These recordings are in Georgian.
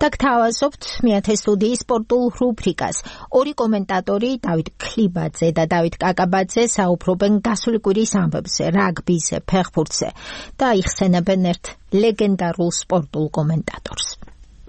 და გთავაზობთ მეათე სტუდიის სპორტულ რუბრიკას. ორი კომენტატორი დავით ქლიბაძე და დავით კაკაბაძე საუბრობენ გასული კვირის ამბებზე, რაგბიზე, ფეხბურთზე და იხსენებენ ერთ ლეგენდარულ სპორტულ კომენტატორს.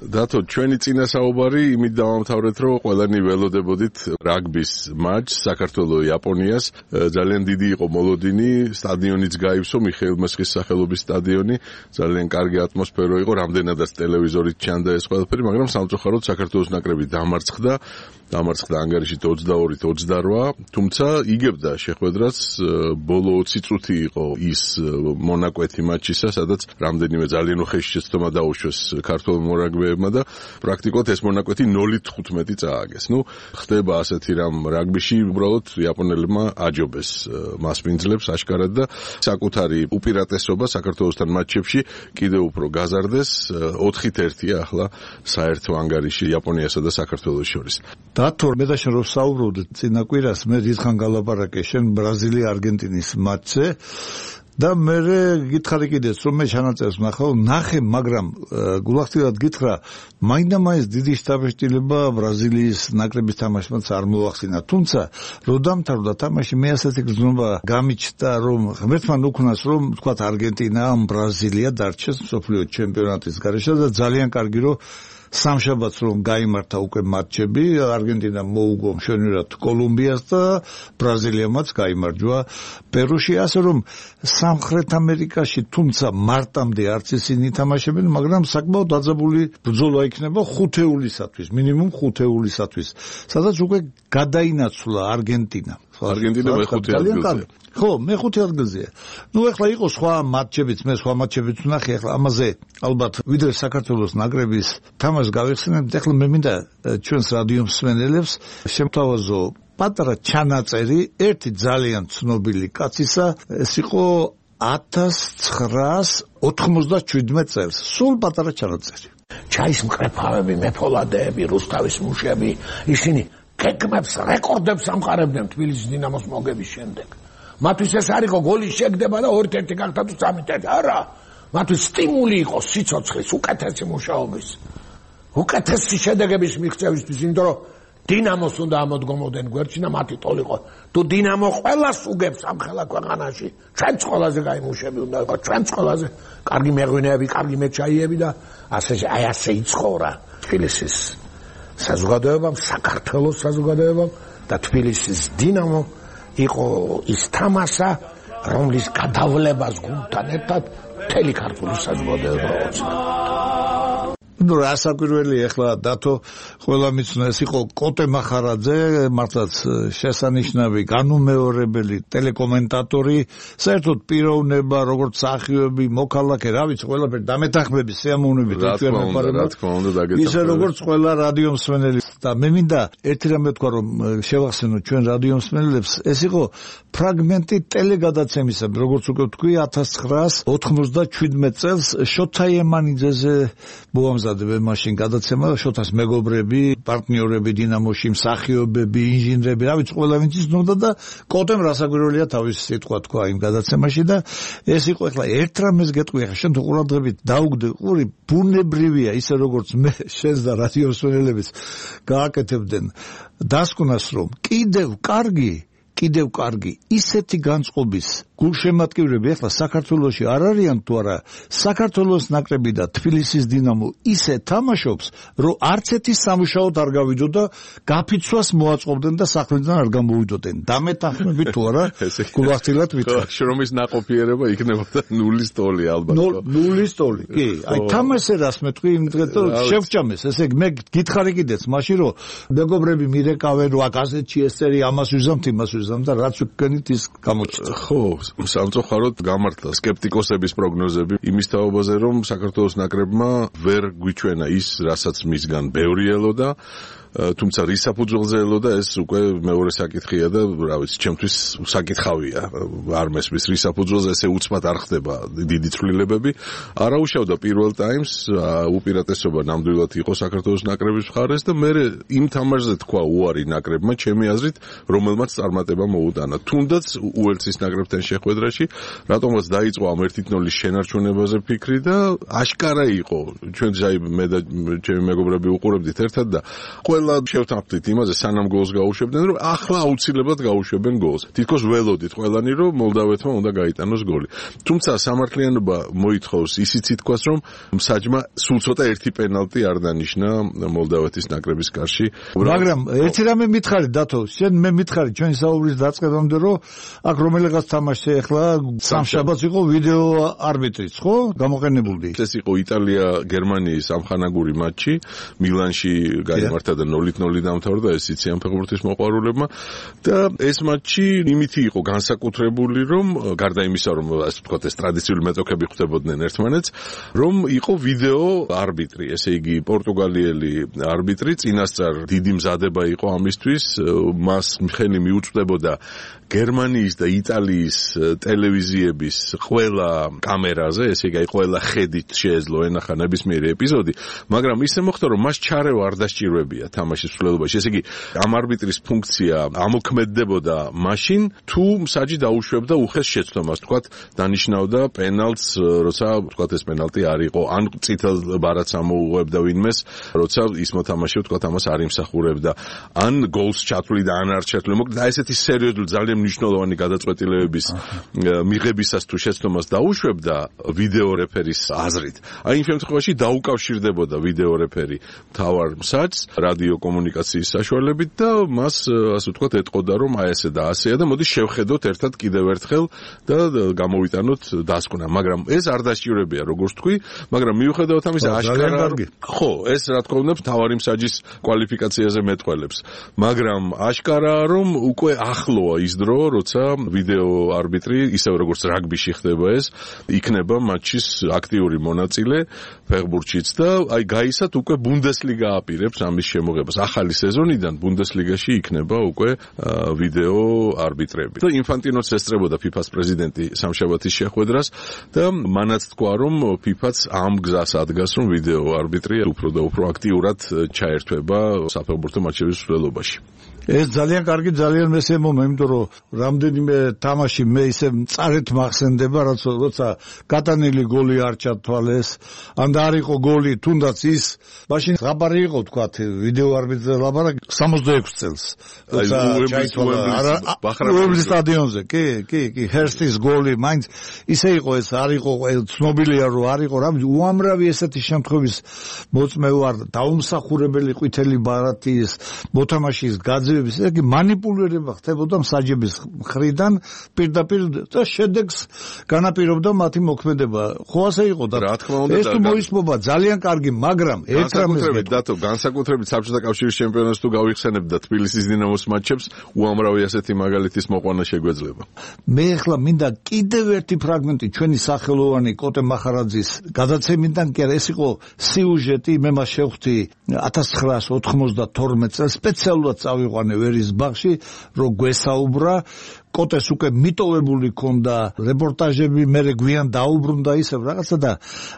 დათო, ჩვენი წინასაუბარი იმით დავამთავრეთ, რომ ყველანი ველოდებოდით რაგბის მატჩს საქართველოს-იაპონიას. ძალიან დიდი იყო მოლოდინი, სტადიონიც გაივსო, მიხეილ მესხის სახელობის სტადიონი. ძალიან კარგი ატმოსფერო იყო, რამდენადაც ტელევიზორით ჩანდა ეს ყველაფერი, მაგრამ სამწუხაროდ საქართველოს ნაკრები დამარცხდა ანგარიშით 22-28, თუმცა იგებდა შეხვედრას. ბოლო 20 წუთი იყო ის მონაკვეთი მატჩისა, სადაც რამდენიმე ძალიან უხეში შეცდომა დაუშვეს ქართულ მორაგბეებმა და პრაქტიკულად ეს მონაკვეთი 0-15 წააგეს. ხდება ასეთი რამ რაგბიში, უბრალოდ იაპონელებმა აჯობეს მასპინძლებს აშკარად და საკუთარი უპირატესობა საქართველოსთან მატჩებში კიდევ უფრო გაზარდეს. 4-1-ია ახლა საერთო ანგარიში იაპონიასა და საქართველოს შორის. დათო, მე და შენ რო საუბრობდით წინა კვირას, მე დიდხან გალაპარაკე შენ ბრაზილია-არგენტინის მატჩზე და მე გითხარი კიდეც რომ მე ჩანაწერს ნახე, მაგრამ გულახდილად გითხრა, მაინდა-მაინც დიდი შთაბეჭდილება ბრაზილიის ნაკრების თამაშმაც არ მოახსინა. თუმცა რო დამთავრდა თამაში, მე ასეთი გრძნობა გამიჩნდა, რომ ღმერთმა უქნას, რომ თქვათ არგენტინა ან ბრაზილია დარჩეს მსოფლიო ჩემპიონატის გარეშე და ძალიან კარგი რომ სამშაბათს რომ გაიმართა უკვე მატჩები, არგენტინა მოუგო მშვენივრად კოლუმბიას და ბრაზილიამაც გაიმარჯვა პერუში, ასე რომ სამხრეთ ამერიკაში თუმცა მარტამდე არც ისინი თამაშებენ, მაგრამ საკმაოდ დაძაბული ბრძოლა იქნება 5-ეულისათვის, მინიმუმ 5-ეულისათვის, სადაც უკვე გადაინაცვლა არგენტინა. არგენტინა მეხუთე ადგილზე. ხო, მეხუთე ადგილზეა. ეხლა იყო სხვა მატჩებიც, მე სხვა მატჩებიც ვნახე, ეხლა ამაზე ალბათ ვიდრე საქართველოს ნაკრების თამაშს გავიხსენებთ, ეხლა მე მინდა ჩვენს რადიო მსმენელებს შემთავაზო პატარა ჩანაწერი ერთი ძალიან ცნობილი კაცისა, ეს იყო 1997 წელს, სულ პატარა ჩანაწერი. ჩაის მკრეფავები, მეფოლადეები, რუსთავის მუშები, ისინი გეგმებს, რეკორდებს ამყარებდნენ თბილისის დინამოს მოგების შემდეგ. მათთვის ეს არ იყო გოლის შეგდება და 2-1 გახდა თუ 3-1, არა. მათთვის სტიმული იყო სიცოცხლის, უკეთესი მუშაობის, უკეთესი შედეგების მიღწევისთვის, იმიტომ რომ დინამოს უნდა ამოდგომოდნენ გვერდში და მათი ტოლი იყო. თუ დინამო ყველას უგებს ამ ხელა ქვეყანაში, ჩვენც ყველაზე კაი მუშები უნდა იყო, ჩვენც ყველაზე კარგი მეღვინეები, კარგი მეჩაიები და ასე იცხოვრა თბილისის საზოგადოებამ, საქართველოს საზოგადოებამ და თბილისის დინამო იყო ის თამაშა, რომლის გადავლებას გუნდთან ერთად მთელი ქართული საზოგადოება ოცნა. რასაკვირველი ახლა დათო ყველა მიცნო, ეს იყო კოტე მახარაძე, მართლაც შესანიშნავი განუმეორებელი ტელეკომენტატორი, საერთოდ პიროვნება, როგორც სახიობი, მოქალაქე, რა ვიცი, ყველაფერი დამეთანხმების სიამოვნებით ჩვენ ვეპარებთ. ისე როგორც ყველა რადიო მსმენელი და მე მინდა ერთი რამე თქვა, რომ შევახსენო ჩვენ რადიო მსმენელებს, ეს იყო ფრაგმენტი ტელეგადაცემისა, როგორც უკვე თქვი 1997 წელს შოთა ემანიძეზე მოამზადებენ მაშინ გადაცემა, შოთას მეგობრები, პარტნიორები დინამოში, მსახიობები, ინჟინრები, რა ვიცი, ყველა ვინც იცნობდა და კოტემ რასაკვირველია თავის სიტყვა თქვა იმ გადაცემაში და ეს იყო ახლა ერთ რამეს გეტყვი, ახლა შენ თუ ყურადღებით დაუგდე ყური, ბუნებრივია ისე როგორც მე შენს და რადიო მსმენელებიც გააკეთებდნენ დასკვნას, რომ კიდევ კარგი ისეთი განწყობის გულშემატკივრები ახლა საქართველოში არ არიან თუ არა, საქართველოს ნაკრები და თბილისის დინამო ისე თამაშობს, რომ არც ერთი სამუშაოდ არ გავიდო და გაფიცვას მოაწყობდნენ და სახლიდან არ გამოვიდოდნენ. დამეთანხმები თუ არა, გულახდილად ვიტყვი. შრომის ნაყოფიერება იქნებოდა 0-ის ტოლი ალბათ. 0-ის ტოლი. კი, აი თამაშზე რას მეტყვი, იმდღეთ რომ შევჭამეს. ესე იგი მე გითხარი კიდეც მაშინ რომ მეგობრები მირეკავენ, რომ აქ ასეთში ეს წერი ამას ვიზამთ, იმას ვიზამთ და რაც ვქენით ის გამოჩნდა. ხო, სამწუხაროდ გამართლა სკეპტიკოსების პროგნოზები იმის თაობაზე, რომ საქართველოს ნაკრებმა ვერ გვიჩვენა ის, რასაც მისგან ბევრი ელოდა. თუმცა რის საფუძველზე ელოდა ეს უკვე მეორე საკითხია და რა ვიცი, ჩემთვის საკითხავია. არ მესმის რის საფუძველზე ესე უცბად არ ხდება დიდი ცვლილებები. არაუშავდა პირველ ტაიმს, უპირატესობა ნამდვილად იყო საქართველოს ნაკრების მხარეს და მე იმ თამაშზე თქვა უარი ნაკრებმა, ჩემი აზრით, რომელმაც წარმატება მოუტანა. თუნდაც უელსის ნაკრებთან შეხვედრაში, რატომაც დაიწყო ამ 1-0-ის შენარჩუნებაზე ფიქრი და აშკარა იყო. ჩვენ ჯაი მე და ჩემი მეგობრები უყურებდით ერთად და ყველა შევთანხმდით იმაზე, სანამ გოლს გაუშვებდნენ, რომ ახლა აუცილებლად გაუშვებენ გოლს. თითქოს ველოდით ყველანი, რომ მოლდავეთმა უნდა გაიტანოს გოლი. თუმცა სამართლიანობა მოითხოვს ისიც ითქვას, რომ მსაჯმა სულ ცოტა ერთი პენალტი არ დანიშნა მოლდავეთის ნაკრების კარში. მაგრამ ერთი რამე მითხარი დათო, შენ მე მითხარი ჩვენი საუბრის დაწყებამდე, რომ აქ რომელიღაც თამაშზე ახლა სამშაბათს იყო ვიდეო არბიტრიც, ხო? გამოყენებული. ეს იყო იტალია-გერმანიის ამხანაგური მატჩი, მილანში გაიმართა და 0-0 დამთავრდა, ეს იციან ფეხბურთის მოყვარულებმა და ეს მატჩი იმითი იყო განსაკუთრებული, რომ გარდა იმისა, რომ ასე ვთქვათ, ეს ტრადიციული მეტოქები ხვდებოდნენ ერთმანეთს, რომ იყო ვიდეო არბიტრი, ესე იგი პორტუგალიელი არბიტრი, წინასწარ დიდი მზადება იყო ამისთვის, მას ხელი მიუწვდებოდა გერმანიის და იტალიის ტელევიზიების ყველა კამერაზე, ესე იგი ყველა ხედით შეეძლო ენახა ნებისმიერი ეპიზოდი, მაგრამ ისე მოხდა, რომ მას ჩარევა არ დასჭირვებია თამაშის მსვლელობაში. ესე იგი ამ არბიტრის ფუნქცია ამოქმედდებოდა მაშინ, თუ მსაჯი დაუშვებდა უხეს შეცდომას, თქვათ, დანიშნავდა პენალტს, როცა თქვათ ეს პენალტი არ იყო, ან წითელ ბარათს ამოუღებდა ვინმეს, როცა ის მოთამაშე თქვათ ამას არ იმსახურებდა, ან გოლს ჩათვლიდა, ან არ ჩათვლიდა. მოკლედ აი ესეთი სერიოზული ძალიან მნიშვნელოვანი გადაწყვეტილებების მიღებისას თუ შეცდომას დაუშვებდა ვიდეო რეფერის აზრით. აი იმ შემთხვევაში დაუკავშირდებოდა ვიდეო რეფერი მთავარ მსაჯს რადიო კომუნიკაციის საშუალებით და მას ასე ვთქვათ ეტყოდა, რომ აი ესე და ასეა და მოდი შევხედოთ ერთად კიდევ ერთხელ და გამოვიტანოთ დასკვნა. მაგრამ ეს არ დასჭირებია, როგორც თქვი, მაგრამ მიუხედავად ამისა აშკარა ხო, ეს რა თქმა უნდა მთავარი მსაჯის კვალიფიკაციაზე მეტყველებს. მაგრამ აშკარაა, რომ უკვე ახლოა ის დრო, როცა ვიდეო არბიტრი, ისევ როგორც რაგბიში ხდება ეს, იქნება მატჩის აქტიური მონაწილე ფეხბურთშიც და აი გაისად უკვე ბუნდესლიგა აპირებს ამის შემოღებას. ახალი სეზონიდან ბუნდესლიგაში იქნება უკვე ვიდეო არბიტრები. და ინფანტინოც ესწრებოდა FIFA-ს პრეზიდენტი სამშაბათის შეხვედრას და მანაც თქვა, რომ FIFA-ც ამ გზას ადგას, რომ ვიდეო არბიტრი უფრო და უფრო აქტიურად ჩაერთვება საფეხბურთო მატჩების მსვლელობაში. ეს ძალიან კარგი, ძალიან მესემომა, იმიტომ რომ რამდენიმე თამაში მე ისე მწარეთ მახსენდება, როცა გატანილი გოლი არ ჩათვალეს, ან და არ იყო გოლი, თუნდაც ის, მაშინ ლაპარი იყო, თქვათ, ვიდეო არბიტრზე ლაპარაკი 66 წელს. როცა ჩაითვალა უემბლის სტადიონზე, კი, ჰერსტის გოლი, მაინც ისე იყო ეს, არ იყო ცნობილია, რომ არ იყო, რამე უამრავი ესეთი შემთხვევის მოწმევა, დაუმსახურებელი ყვითელი ბარათის მოთამაშის გაძევების, იგი მანიპულირება ხდებოდა მსაჯების მხრიდან პირდაპირ და შედეგს განაპირობდა მათი მოქმედება. ხო ასე იყო და რა თქმა უნდა ეს თუ მოისმობა ძალიან კარგი, მაგრამ ერთ რამეს დათო, განსაკუთრებით საბჭოთა კავშირის ჩემპიონატს თუ გავიხსენებ და თბილისის დინამოს მატჩებს, უამრავი ასეთი მაგალითის მოყვანა შეგვეძლება. მე ახლა მინდა კიდევ ერთი ფრაგმენტი ჩვენი სახელოვანი კოტე მახარაძის გადაცემიდან, კი არა, ეს იყო სიუჟეტი, მე მას შევხვდი 1992 წელს სპეციალურად წავიყვანე ვერის ბაღში, რომ გვესაუბრა. კოტეს უკვე მიტოვებული ქონდა რეპორტაჟები, მე გვიან დაუბრუნდა ისევ რაღაცა და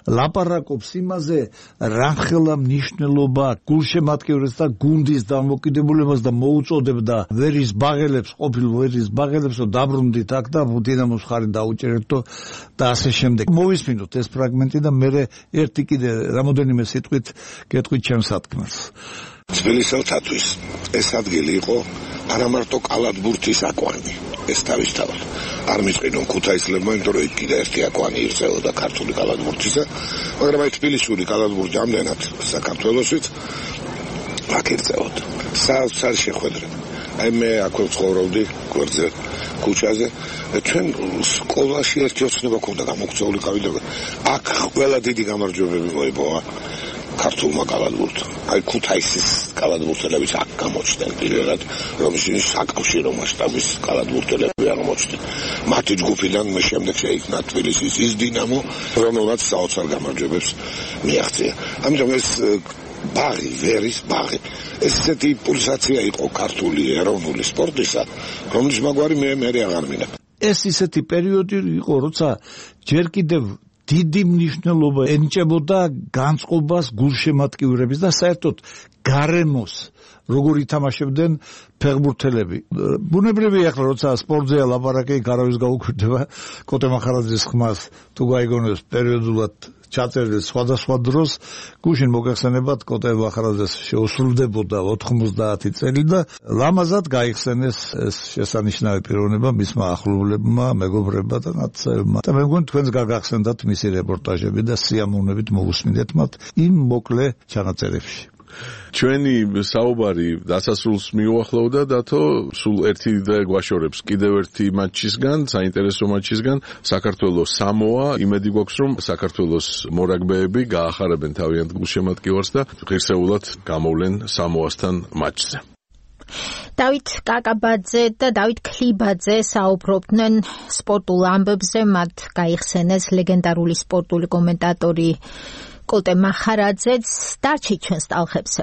ლაპარაკობს იმაზე, რამხელა მნიშვნელობა გულშემატკივრებს და გუნდის დამოკიდებულებას და მოუწოდებდა ვერის ბაღელებს, ყოფილ ვერის ბაღელებს, რომ დაბრუნდით აქ და დინამოს ხარი დაუჭერეთო და ასე შემდეგ. მოვისმინოთ ეს ფრაგმენტი და მე ერთი კიდე რამოდენიმე სიტყვით გეტყვით ჩემს სათქმელს. თბილისელთათვის ეს ადგილი იყო არა მარტო კალათბურთის აკვანი, ეს თავისთავად არ მისყიდონ ქუთაისლებმა, იმიტომ რომ იქ კიდე ერთი აკვანი ირწეოდა ქართული კალათბურთისა, მაგრამ აი თბილისური კალათბურთი ამდენად საქართველოსვით აქ ირწეოდა. საოცარ შეხვედრა. აი მე აქვე ცხოვრობდი გვერდზე ქუჩაზე, ჩვენ სკოლაში ერთი ოცნება ქონდა გამოგწეული ყავიდა. აქ ყველა დიდი გამარჯვებები მოიპოვა ქართულმა კალათბურთმა. აი ქუთაისის კალათბურთელებიც აქ გამოჩნდნენ პირველად, რომ ისინი საკავშირო მასშტაბის კალათბურთელები აღმოჩნდნენ. მათი ჯგუფიდან მე შემდეგ შეიქმნა თბილისის ის დინამო, რომელმაც საოცარ გამარჯვებებს მიაღწია. ამიტომ ეს ბაღი, ვერის ბაღი. ეს ესეთი პულსაცია იყო ქართული ეროვნული სპორტისა, რომლის მაგვარი მე აღარ მინდა. ეს ისეთი პერიოდი იყო, როცა ჯერ კიდევ დიდი მნიშვნელობა ენიჭებოდა განწყობას გულშემატკივრების და საერთოდ გარემოს როგორ ითამაშებდნენ ფეხბურთელები. ბუნებრივია ახლა როცა სპორტზეა ლაპარაკი, გარავის გაუკვირდება კოტე მახარაძის ხმას თუ გაიგონებს პერიოდულად ჩაწერილ სხვადასხვა დროს გუშინ მოგეხსენებათ კოტე მახარაძეს შეუსრულდებოდა 90 წელი და ლამაზად გაიხსენეს ეს შესანიშნავი პიროვნება მისმა ახლობლებმა, მეგობრებმა და ნაცელებმა. და მე მგონი თქვენს გაგახსენდათ მისი რეპორტაჟები და სიამოვნებით მოგუსმინეთ მათ იმ მოკლე ჩანაწერებში. ჩვენი საუბარი დასასრულს მიუახლოვდა დათო, სულ ერთი დღე გვაშორებს კიდევ ერთი მატჩისგან, საინტერესო მატჩისგან, საქართველოს სამოა. იმედი გვაქვს, რომ საქართველოს მორაგბეები გაახარებენ თავიანთ გულშემატკივარს და ღირსეულად გამოვლენ სამოასთან მატჩზე. დავით კაკაბაძე და დავით ქლიბაძე საუბრობდნენ სპორტულ ამბებზე, მათ გაიხსენეს ლეგენდარული სპორტული კომენტატორი კოტე მახარაძეც. დარჩით ჩვენს ტალღებზე.